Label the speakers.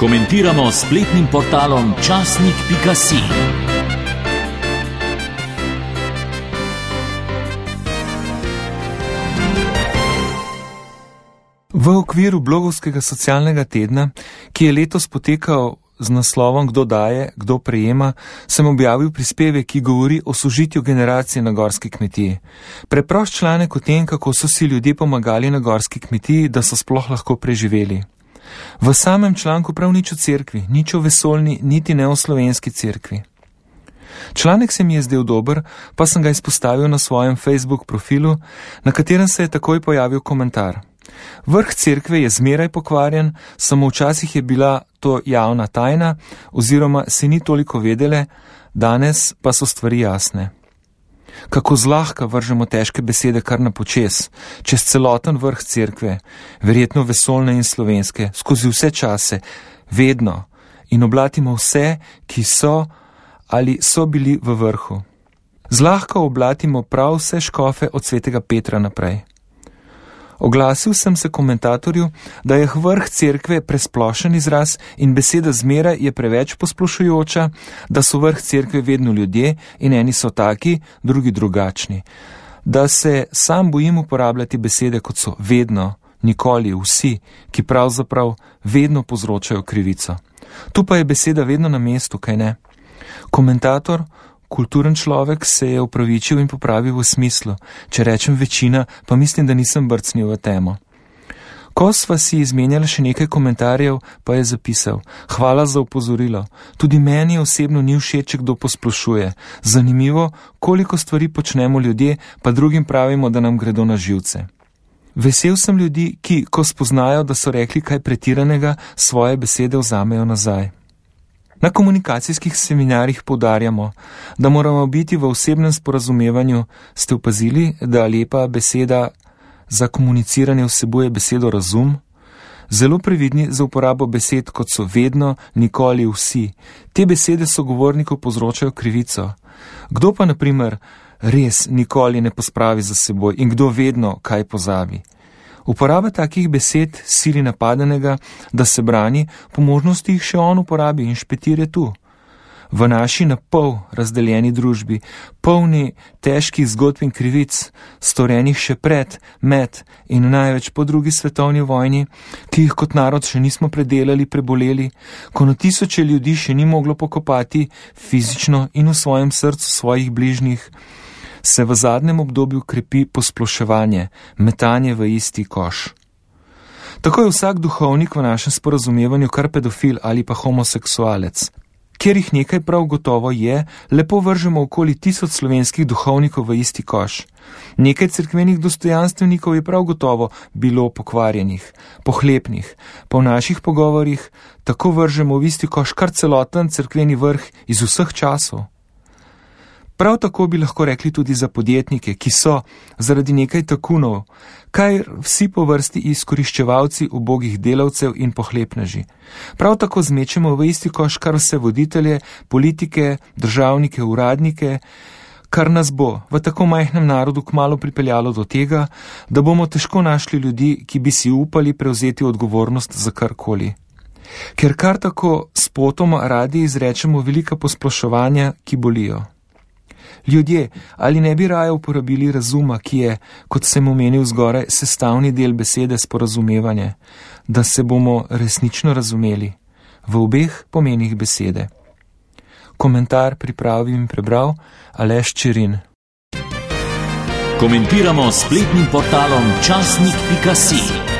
Speaker 1: Komentiramo s spletnim portalom časnik.si.
Speaker 2: V okviru blogovskega socialnega tedna, ki je letos potekal z naslovom Kdo daje, kdo prejema, sem objavil prispevek, ki govori o sožitju generacije na gorski kmetiji. Preprost članek o tem, kako so si ljudje pomagali na gorski kmetiji, da so sploh lahko preživeli. V samem članku prav nič o cerkvi, nič o vesoljni, niti ne o slovenski cerkvi. Članek se mi je zdel dober, pa sem ga izpostavil na svojem Facebook profilu, na katerem se je takoj pojavil komentar. Vrh cerkve je zmeraj pokvarjen, samo včasih je bila to javna tajna oziroma se ni toliko vedele, danes pa so stvari jasne. Kako zlahka vržemo težke besede kar na počez, čez celoten vrh cerkve, verjetno vesoljne in slovenske, skozi vse čase, vedno, in oblatimo vse, ki so ali so bili v vrhu. Zlahka oblatimo prav vse škofe od svetega Petra naprej. Oglasil sem se komentatorju, da je vrh cerkve presplošen izraz in beseda zmeraj je preveč posplošujoča, da so vrh cerkve vedno ljudje in eni so taki, drugi drugačni. Da se sam bojim uporabljati besede kot so vedno, nikoli, vsi, ki pravzaprav vedno povzročajo krivico. Tu pa je beseda vedno na mestu, kaj ne? Komentator, kulturen človek, se je opravičil in popravil v smislu, če rečem večina, pa mislim, da nisem brcnil v temo. Ko sva si izmenjala še nekaj komentarjev, pa je zapisal: hvala za opozorilo, tudi meni osebno ni všeč, če kdo posplošuje. Zanimivo, koliko stvari počnemo ljudje, pa drugim pravimo, da nam gredo na živce. Vesel sem ljudi, ki, ko spoznajo, da so rekli kaj pretiranega, svoje besede vzamejo nazaj. Na komunikacijskih seminarjih poudarjamo, da moramo biti v osebnem sporazumevanju. Ste opazili, da lepa beseda za komuniciranje vsebuje besedo razum? Zelo previdni za uporabo besed, kot so vedno, nikoli, vsi. Te besede sogovorniku povzročajo krivico. Kdo pa, na primer, res nikoli ne pospravi za seboj in kdo vedno kaj pozabi? Uporaba takih besed sili napadenega, da se brani, po možnosti jih še on uporabi in špetir je tu. V naši na pol razdeljeni družbi, polni težkih zgodb in krivic, storjenih še pred, med in največ po drugi svetovni vojni, ki jih kot narod še nismo predelali, preboleli, ko na tisoče ljudi še ni moglo pokopati fizično in v svojem srcu svojih bližnjih, se v zadnjem obdobju krepi posploševanje, metanje v isti koš. Tako je vsak duhovnik v našem sporazumevanju kar pedofil ali pa homoseksualec. Kjer jih nekaj prav gotovo je, lepo vržemo okoli 1000 slovenskih duhovnikov v isti koš. Nekaj cerkvenih dostojanstvenikov je prav gotovo bilo pokvarjenih, pohlepnih, pa v naših pogovorjih tako vržemo v isti koš kar celoten cerkveni vrh iz vseh časov. Prav tako bi lahko rekli tudi za podjetnike, ki so zaradi nekaj takunov, kaj vsi po vrsti izkoriščevalci ubogih delavcev in pohlepneži. Prav tako zmečemo v isti koš kar vse voditelje, politike, državnike, uradnike, kar nas bo v tako majhnem narodu kmalu pripeljalo do tega, da bomo težko našli ljudi, ki bi si upali prevzeti odgovornost za karkoli. Ker kar tako spotoma radi izrečemo velika posploševanja, ki bolijo. Ljudje, ali ne bi raje uporabili razuma, ki je, kot sem omenil zgoraj, sestavni del besede sporazumevanje, da se bomo resnično razumeli v obeh pomenih besede. Komentar pripravil in prebral Aleš Čerin.
Speaker 1: Komentiramo s spletnim portalom časnik.si.